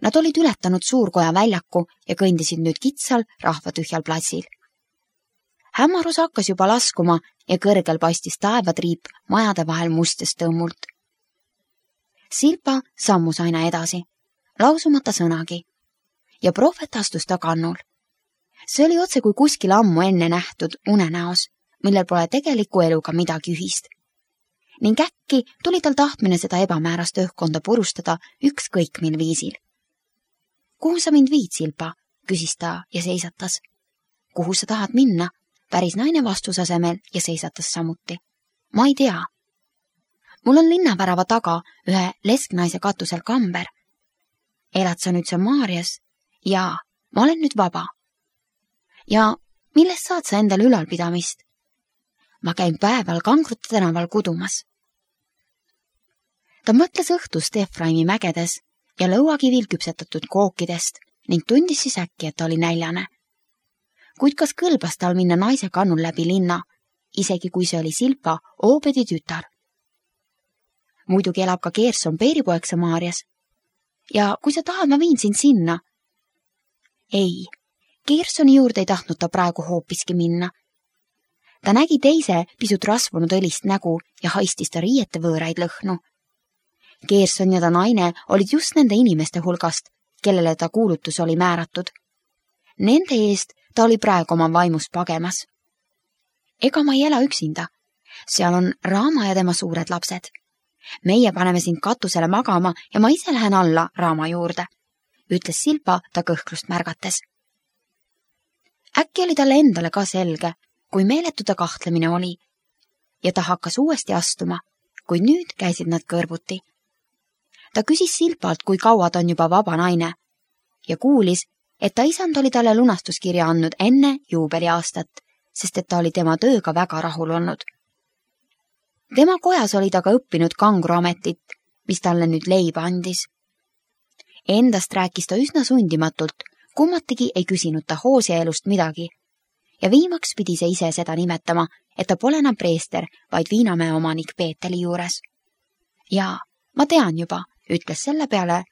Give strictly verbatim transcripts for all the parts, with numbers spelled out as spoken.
Nad olid ületanud Suurkoja väljaku ja kõndisid nüüd kitsal rahvatühjal platsil. Hämmarus hakkas juba laskuma ja kõrgel paistis taevatriip majade vahel mustest tõmmult. Silpa sammus aina edasi, lausumata sõnagi, ja prohvet astus ta kannul. See oli otse kui kuskil ammu enne nähtud unenäos, millel pole tegeliku eluga midagi ühist. Ning äkki tuli tal tahtmine seda ebamäärast õhkkonda purustada ükskõik mil viisil. Kuhu sa mind viid, Silpa? Küsis ta ja seisatas. Kuhu sa tahad minna? Päris naine vastusasemel ja seisatas samuti. Ma ei tea. Mul on linnavärava taga ühe lesknaise katusel kamber. Elad sa nüüd Samaarias? Jaa, ma olen nüüd vaba. Ja millest saad sa endale ülalpidamist? Ma käin päeval Kangrute tänaval kudumas. Ta mõtles õhtust Efraimi mägedes ja lõuakivil küpsetatud kookidest ning tundis siis äkki, et ta oli näljane. Kuid kas kõlbas tal minna naise kannul läbi linna, isegi kui see oli Silpa, Oobedi tütar? Muidugi elab ka Gerson peeripoeg Samaarias. Ja kui sa tahad, ma viin sind sinna. Ei, Gersoni juurde ei tahtnud ta praegu hoopiski minna. Ta nägi teise pisut rasvunud õlist nägu ja haistis ta riiete võõraid lõhnu. Gerson ja ta naine olid just nende inimeste hulgast, kellele ta kuulutus oli määratud. Nende eest ta oli praegu oma vaimus pagemas. Ega ma ei ela üksinda. Seal on Raama ja tema suured lapsed. Meie paneme sind katusele magama ja ma ise lähen alla Raama juurde, ütles Silpa ta kõhklust märgates. Äkki oli talle endale ka selge, kui meeletu ta kahtlemine oli, ja ta hakkas uuesti astuma, kuid nüüd käisid nad kõrvuti. Ta küsis Silpalt, kui kaua ta on juba vaba naine, ja kuulis, et ta isand oli talle lunastuskirja andnud enne juubeliaastat, sest et ta oli tema tööga väga rahul olnud. Tema kojas oli ta ka õppinud kangruametit, mis talle nüüd leiba andis. Endast rääkis ta üsna sundimatult, kummatigi ei küsinud ta Hoosia elust midagi, ja viimaks pidi see ise seda nimetama, et ta pole enam preester, vaid Viinamäe omanik Peeteli juures. Jaa, ma tean juba, ütles selle peale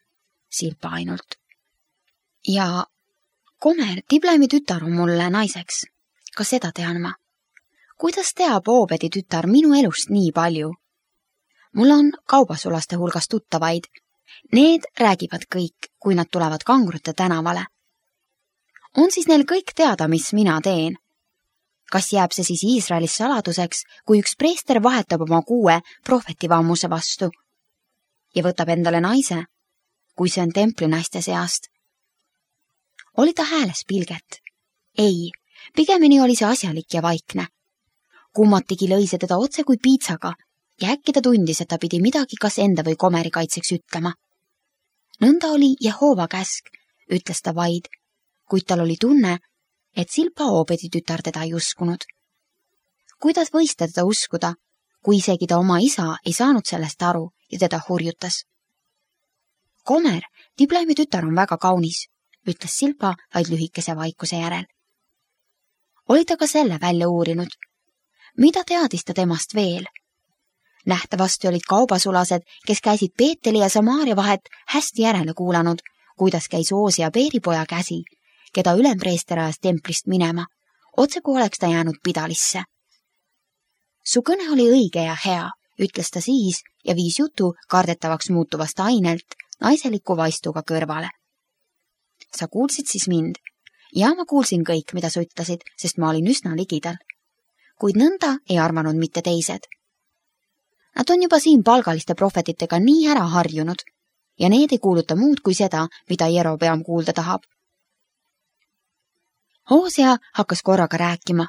Silpa ainult. Ja Komer, Tiblemi tütar on mulle naiseks. Ka seda tean ma. Kuidas teab Oobedi tütar minu elust nii palju? Mul on kaubasulaste hulgas tuttavaid. Need räägivad kõik, kui nad tulevad Kangrute tänavale. On siis neil kõik teada, mis mina teen? Kas jääb see siis Iisraelis saladuseks, kui üks preester vahetab oma kuue prohvetivammuse vastu ja võtab endale naise, kui see on templinaiste seast? Oli ta hääles pilget? Ei, pigemini oli see asjalik ja vaikne. Kummatigi lõi see teda otse kui piitsaga ja äkki ta tundis, et ta pidi midagi kas enda või Komeri kaitseks ütlema. Nõnda oli Jehova käsk, ütles ta vaid, kuid tal oli tunne, et Silpa Oobedi tütar teda ei uskunud. Kuidas võis ta teda uskuda, kui isegi ta oma isa ei saanud sellest aru ja teda hurjutas? Komer, Tiblemi tütar on väga kaunis, ütles Silpa vaid lühikese vaikuse järel. Oli ta ka selle välja uurinud? Mida teadis ta temast veel? Nähtavasti olid kaubasulased, kes käisid Peeteli ja Samaaria vahet hästi järele kuulanud, kuidas käis Hoosia peeripoja käsi, keda ülempreester ajas templist minema, otse kui oleks ta jäänud pidalisse. Su kõne oli õige ja hea, ütles ta siis ja viis jutu kardetavaks muutuvast ainelt naiseliku vaistuga kõrvale. Sa kuulsid siis mind? Ja ma kuulsin kõik, mida sa ütlesid, sest ma olin üsna ligidal. Kuid nõnda ei arvanud mitte teised. Nad on juba siin palgaliste prohvetitega nii ära harjunud ja need ei kuuluta muud kui seda, mida Jerobeam kuulda tahab. Hoosia hakkas korraga rääkima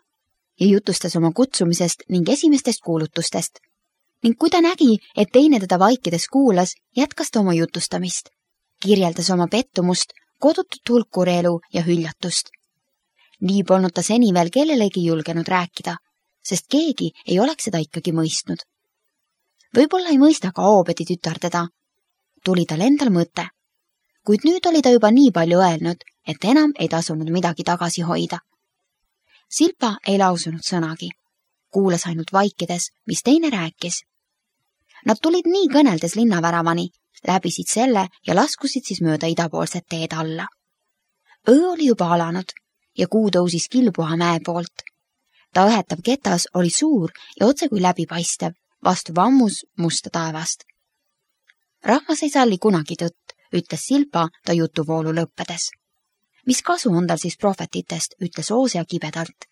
ja jutustas oma kutsumisest ning esimestest kuulutustest. Ning kui ta nägi, et teine teda vaikides kuulas, jätkas ta oma jutustamist. Kirjeldas oma pettumust, kodutut hulkureelu ja hüljatust. Nii polnud ta seni veel kellelegi julgenud rääkida, sest keegi ei oleks seda ikkagi mõistnud. Võib-olla ei mõista ka Oobedi tütar teda. Tuli tal endal mõte. Kuid nüüd oli ta juba nii palju öelnud, et enam ei tasunud midagi tagasi hoida. Silpa ei lausunud sõnagi. Kuulas ainult vaikides, mis teine rääkis. Nad tulid nii kõneldes linnaväravani, läbisid selle ja laskusid siis mööda idapoolset teed alla. Öö oli juba alanud ja kuu tõusis Kilpuha mäe poolt. Ta õhetav ketas oli suur ja otse kui läbipaistev, vastu vammus musta taevast. Rahvas ei salli kunagi tõtt, ütles Silpa ta jutuvoolu lõppedes. Mis kasu on tal siis prohvetitest, ütles Hoosea kibedalt.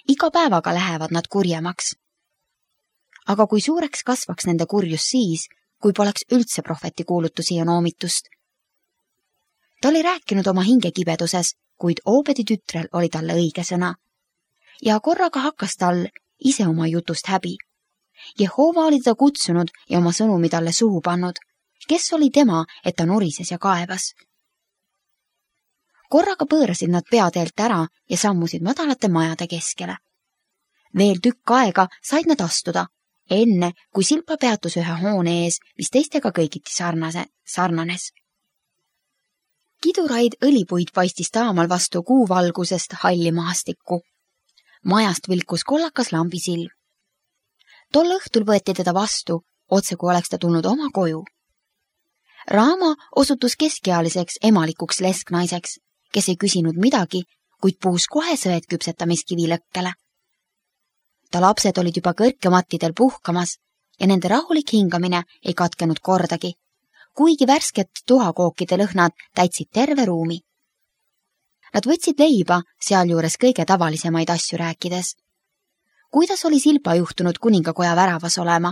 Iga päevaga lähevad nad kurjemaks. Aga kui suureks kasvaks nende kurjus siis, kui poleks üldse prohveti kuulutusi ja noomitust? Ta oli rääkinud oma hingekibeduses, kuid Oobedi tütrel oli talle õige sõna. Ja korraga hakkas tal ise oma jutust häbi. Jehova oli ta kutsunud ja oma sõnumi talle suhu pannud. Kes oli tema, et ta nurises ja kaevas? Korraga pöörasid nad peateelt ära ja sammusid madalate majade keskele. Veel tükk aega said nad astuda, enne kui Silpa peatus ühe hoone ees, mis teistega kõigiti sarnase, sarnanes. Kiduraid õlipuid paistis taamal vastu kuuvalgusest halli maastikku. Majast vilkus kollakas lambisilm. Tol õhtul võeti teda vastu, otse kui oleks ta tulnud oma koju. Raama osutus keskealiseks emalikuks lesknaiseks, kes ei küsinud midagi, kuid puus kohe sõed küpsetamiskivi lõkkele. Ta lapsed olid juba kõrkemattidel puhkamas ja nende rahulik hingamine ei katkenud kordagi, kuigi värsket tuhakookide lõhnad täitsid terve ruumi. Nad võtsid leiba, sealjuures kõige tavalisemaid asju rääkides. Kuidas oli Silpa juhtunud kuningakoja väravas olema?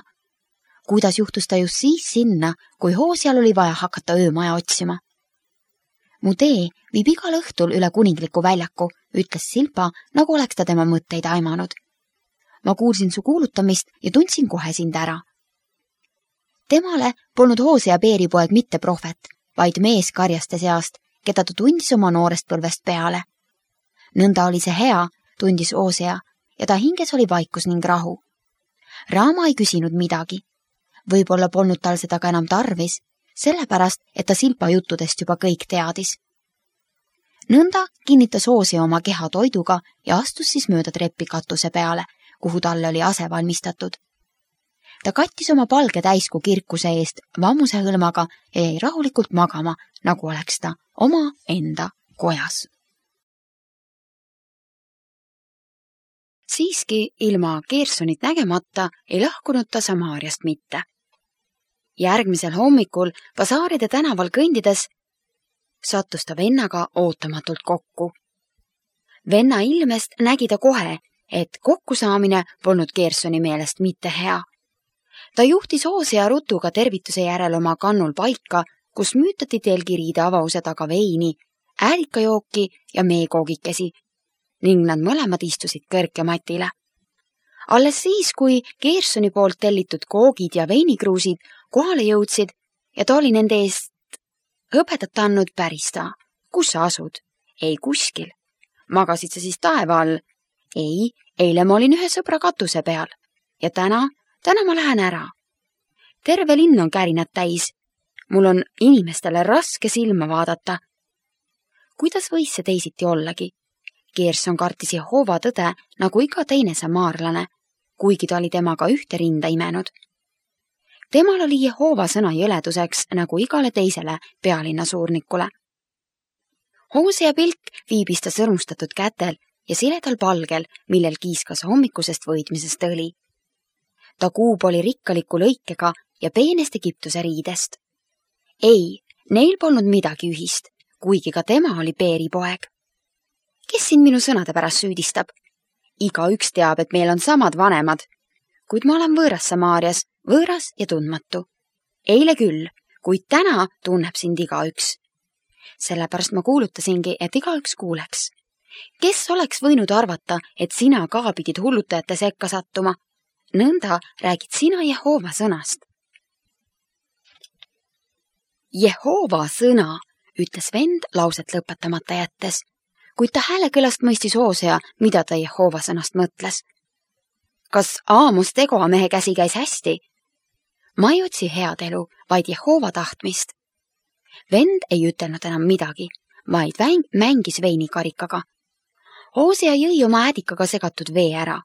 Kuidas juhtus ta just siis sinna, kui Hooseal oli vaja hakata öömaja otsima? Mu tee viib igal õhtul üle kuningliku väljaku, ütles Silpa, nagu oleks ta tema mõtteid aimanud. Ma kuulsin su kuulutamist ja tundsin kohe sind ära. Temale polnud Hoosea peeripoeg mitte prohvet, vaid mees karjaste seast, keda ta tundis oma noorest põlvest peale. Nõnda oli see hea, tundis Hoosea, ja ta hinges oli vaikus ning rahu. Raama ei küsinud midagi. Võib-olla polnud tal seda ka enam tarvis, sellepärast, et ta Silpa juttudest juba kõik teadis. Nõnda kinnitas Hoosea oma keha toiduga ja astus siis mööda treppi katuse peale, kuhu talle oli ase valmistatud. Ta kattis oma palge täiskuu kirkuse eest vammuse hõlmaga ja jäi rahulikult magama, nagu oleks ta oma enda kojas. Siiski ilma Gersonit nägemata ei lahkunud ta Samaariast mitte. Järgmisel hommikul basaaride tänaval kõndides sattus ta vennaga ootamatult kokku. Venna ilmest nägi ta kohe, et kokkusaamine polnud Gersoni meelest mitte hea. Ta juhtis Hoosea rutuga tervituse järel oma kannul paika, kus müütati telgiriide avause taga veini, äälikajooki ja meekoogikesi ning nad mõlemad istusid kõrkematile. Alles siis, kui Gersoni poolt tellitud koogid ja veinikruusid kohale jõudsid ja ta oli nende eest hõbedat andnud pärista. Kus sa asud? Ei kuskil. Magasid sa siis taeva all? Ei, eile ma olin ühe sõbra katuse peal. Ja täna, täna ma lähen ära. Terve linn on kärinad täis. Mul on inimestele raske silma vaadata. Kuidas võis see teisiti ollagi? Gerson kartis Jehova tõde nagu iga teine samaarlane, kuigi ta oli temaga ühte rinda imenud. Temal oli Jehova sõna jõleduseks nagu igale teisele pealinna suurnikule. Hoosea pilk viibis ta sõrmustatud kätel ja siledal palgel, millel kiiskas hommikusest võidmisest õli. Ta kuub oli rikkaliku lõikega ja peenest Egiptuse riidest. Ei, neil polnud midagi ühist, kuigi ka tema oli peeripoeg. Kes siin minu sõnade pärast süüdistab? Iga üks teab, et meil on samad vanemad, kuid ma olen võõras Samaarias, võõras ja tundmatu. Eile küll, kuid täna tunneb sind iga üks. Sellepärast ma kuulutasingi, et iga üks kuuleks. Kes oleks võinud arvata, et sina ka pidid hullutajate sekka sattuma? Nõnda räägid sina Jehova sõnast. Jehova sõna, ütles vend lauset lõpetamata jättes, kuid ta häälekõlast mõistis Hoosea, mida ta Jehova sõnast mõtles. Kas Aamos Tegoa mehe käsi käis hästi? Ma ei otsi head elu, vaid Jehova tahtmist. Vend ei ütelnud enam midagi, vaid mängis veinikarikaga. Hoosea jõi oma äädikaga segatud vee ära.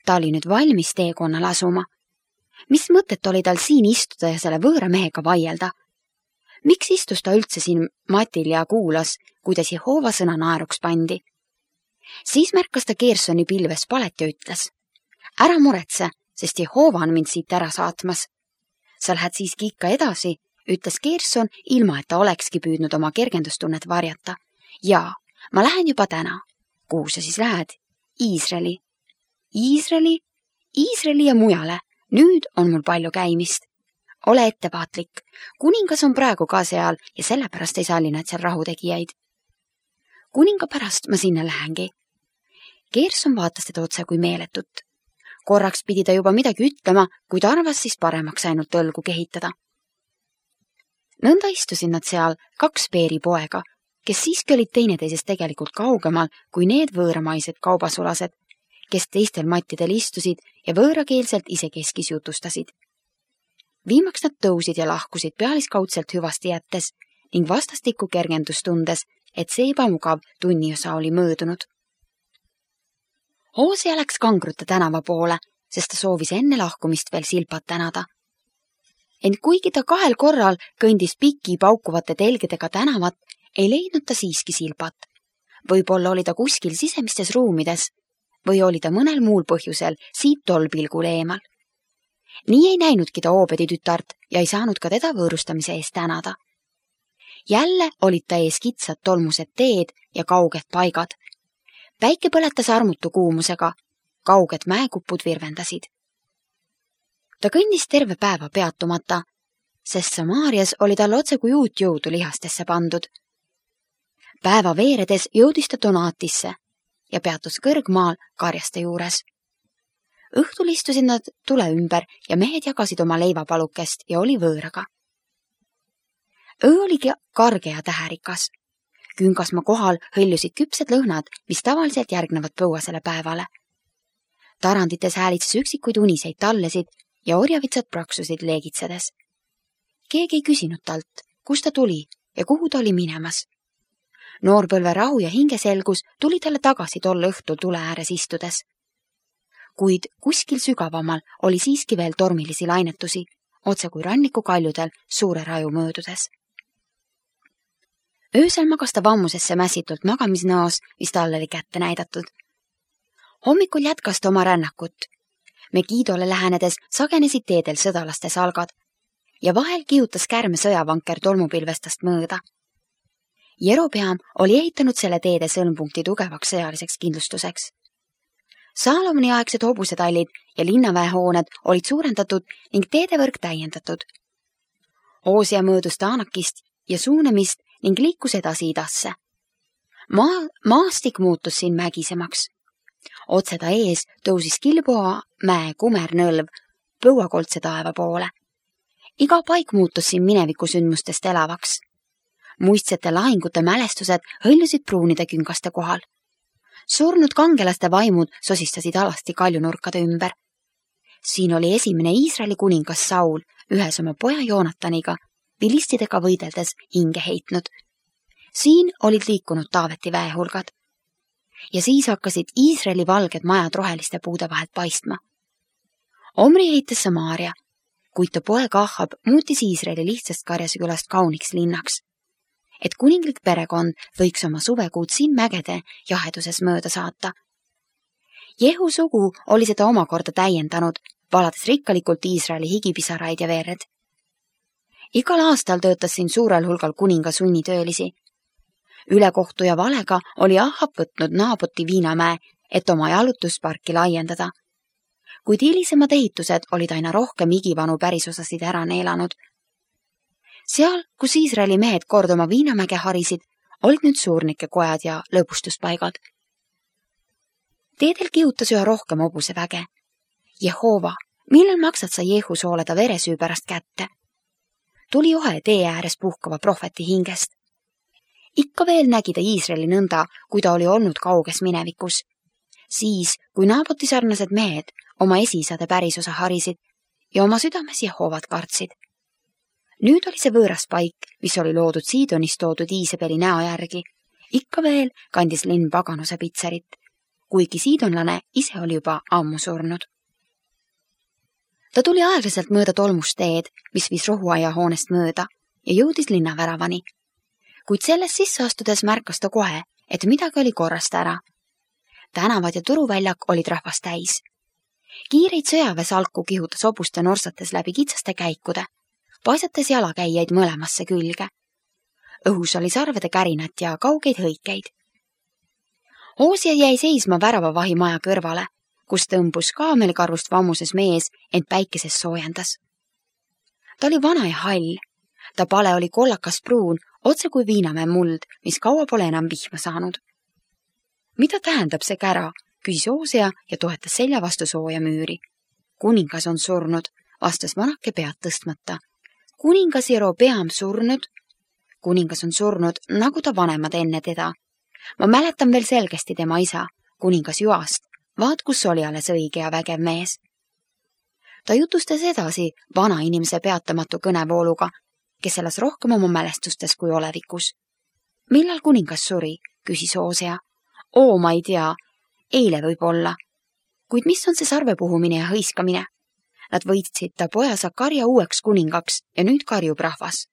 Ta oli nüüd valmis teekonnal asuma. Mis mõtet oli tal siin istuda ja selle võõra mehega vaielda? Miks istus ta üldse siin matil ja kuulas, kuidas Jehova sõna naeruks pandi? Siis märkas ta Gersoni pilves palet ja ütles: ära muretse, sest Jehova on mind siit ära saatmas. Sa lähed siiski ikka edasi, ütles Gerson, ilma et ta olekski püüdnud oma kergendustunnet varjata. Jaa, ma lähen juba täna. Kuhu sa siis lähed? Iisraeli. Iisraeli? Iisraeli ja mujale. Nüüd on mul palju käimist. Ole ettevaatlik. Kuningas on praegu ka seal ja sellepärast ei salli nad seal rahutegijaid. Kuninga pärast ma sinna lähengi. Gerson vaatas teda otse kui meeletut. Korraks pidi ta juba midagi ütlema, kuid arvas siis paremaks ainult õlgu kehitada. Nõnda istusid nad seal kaks Beeri poega, kes siiski olid teineteisest tegelikult kaugemal kui need võõramaised kaubasulased, kes teistel mattidel istusid ja võõrakeelselt isekeskis jutustasid. Viimaks nad tõusid ja lahkusid pealiskaudselt hüvasti jättes ning vastastikku kergendus tundes, et see ebamugav tunniosa oli möödunud. Hoosea läks Kangrute tänava poole, sest ta soovis enne lahkumist veel Silpat tänada. Ent kuigi ta kahel korral kõndis piki paukuvate telgedega tänavat, ei leidnud ta siiski Silpat. Võib-olla oli ta kuskil sisemistes ruumides või oli ta mõnel muul põhjusel siit tol pilgul eemal. Nii ei näinudki ta Oobedi tütart ja ei saanud ka teda võõrustamise eest tänada. Jälle olid ta ees kitsad tolmused teed ja kauged paigad. Päike põletas armutu kuumusega, kauged mäekupud virvendasid. Ta kõndis terve päeva peatumata, sest Samaarias oli tal otse kui uut jõudu lihastesse pandud. Päeva veeredes jõudis ta Donaatisse ja peatus kõrgmaal karjaste juures. Õhtul istusid nad tule ümber ja mehed jagasid oma leivapalukest ja oli võõraga. Öö oli karge ja täherikas. Küngasmaa kohal hõljusid küpsed lõhnad, mis tavaliselt järgnevad põuasele päevale. Tarandites häälitses üksikuid uniseid tallesid ja orjavitsad praksusid leegitsedes. Keegi ei küsinud talt, kust ta tuli ja kuhu ta oli minemas. Noorpõlve rahu ja hingeselgus tuli talle tagasi tol õhtul tule ääres istudes. Kuid kuskil sügavamal oli siiski veel tormilisi lainetusi, otse kui ranniku kaljudel suure raju möödudes. Öösel magas ta vammusesse mässitult magamisnõos, mis talle oli kätte näidatud. Hommikul jätkas ta oma rännakut. Megidole lähenedes sagenesid teedel sõdalaste salgad ja vahel kihutas kärme sõjavanker tolmupilvestast mööda. Jerobeam oli ehitanud selle teede sõlmpunkti tugevaks sõjaliseks kindlustuseks. Saalomoni aegsed hobusetallid ja linnaväehooned olid suurendatud ning teedevõrk täiendatud. Hoosea möödus Taanakist ja Suunemist ning liikus edasi idasse. Maa, maastik muutus siin mägisemaks. Otse ta ees tõusis Kilboa mäe kumernõlv põuakoldse taeva poole. Iga paik muutus siin minevikusündmustest elavaks. Muistsete lahingute mälestused hõljusid pruunide küngaste kohal. Surnud kangelaste vaimud sosistasid alasti kaljunurkade ümber. Siin oli esimene Iisraeli kuningas Saul ühes oma poja Joonataniga, vilistidega võideldes hinge heitnud. Siin olid liikunud Taaveti väehulgad. Ja siis hakkasid Iisraeli valged majad roheliste puude vahelt paistma. Omri heitas Samaaria, kuid ta poeg Ahab muutis Iisraeli lihtsast karjasekülast kauniks linnaks, et kuninglik perekond võiks oma suvekuud siin mägede jaheduses mööda saata. Jehu sugu oli seda omakorda täiendanud, valades rikkalikult Iisraeli higipisaraid ja verd. Igal aastal töötas siin suurel hulgal kuninga sunnitöölisi. Ülekohtu ja valega oli Ahab võtnud Naaboti viinamäe, et oma jalutusparki laiendada. Kuid hilisemad ehitused olid aina rohkem igivanu pärisosasid ära neelanud. Seal, kus Iisraeli mehed kord oma viinamäge harisid, olid nüüd suurnike kojad ja lõbustuspaigad. Teedel kihutas üha rohkem hobuse väge. Jehova, millal maksad sa Jehu sooleda veresüü pärast kätte? Tuli ohe tee ääres puhkava prohveti hingest. Ikka veel nägi ta Iisraeli nõnda, kui ta oli olnud kauges minevikus. Siis, kui Naaboti sarnased mehed oma esiisade pärisosa harisid ja oma südames Jehovat kartsid. Nüüd oli see võõras paik, mis oli loodud Siidonist toodud Iisabeli näo järgi. Ikka veel kandis linn paganuse pitserit, kuigi siidonlane ise oli juba ammu surnud. Ta tuli aeglaselt mööda tolmust teed, mis viis rohuaia hoonest mööda, ja jõudis linnaväravani. Kuid selles sisse astudes märkas ta kohe, et midagi oli korrast ära. Tänavad ja turuväljak olid rahvast täis. Kiireid sõjaväesalku kihutas hobuste norsates läbi kitsaste käikude, paisates jalakäijaid mõlemasse külge. Õhus oli sarvede kärinat ja kaugeid hõikeid. Hoosia jäi seisma väravavahi maja kõrvale, kus tõmbus kaamelkarvust vammuses mees, ent päikeses soojendas. Ta oli vana ja hall. Ta pale oli kollakas pruun, otse kui viinamäe muld, mis kaua pole enam vihma saanud. Mida tähendab see kära, küsis Hoosia ja toetas selja vastu sooja müüri. Kuningas on surnud, vastas vanake pead tõstmata. Kuningas Jerobeam surnud? Kuningas on surnud, nagu ta vanemad enne teda. Ma mäletan veel selgesti tema isa, kuningas Joast. Vaat, kus oli alles õige ja vägev mees. Ta jutustas edasi vana inimese peatamatu kõnevooluga, kes elas rohkem oma mälestustes kui olevikus. Millal kuningas suri, küsis Hoosia. Oo, ma ei tea. Eile võib olla. Kuid mis on see sarvepuhumine ja hõiskamine? Nad võitsid ta poja Sakarja uueks kuningaks ja nüüd karjub rahvas.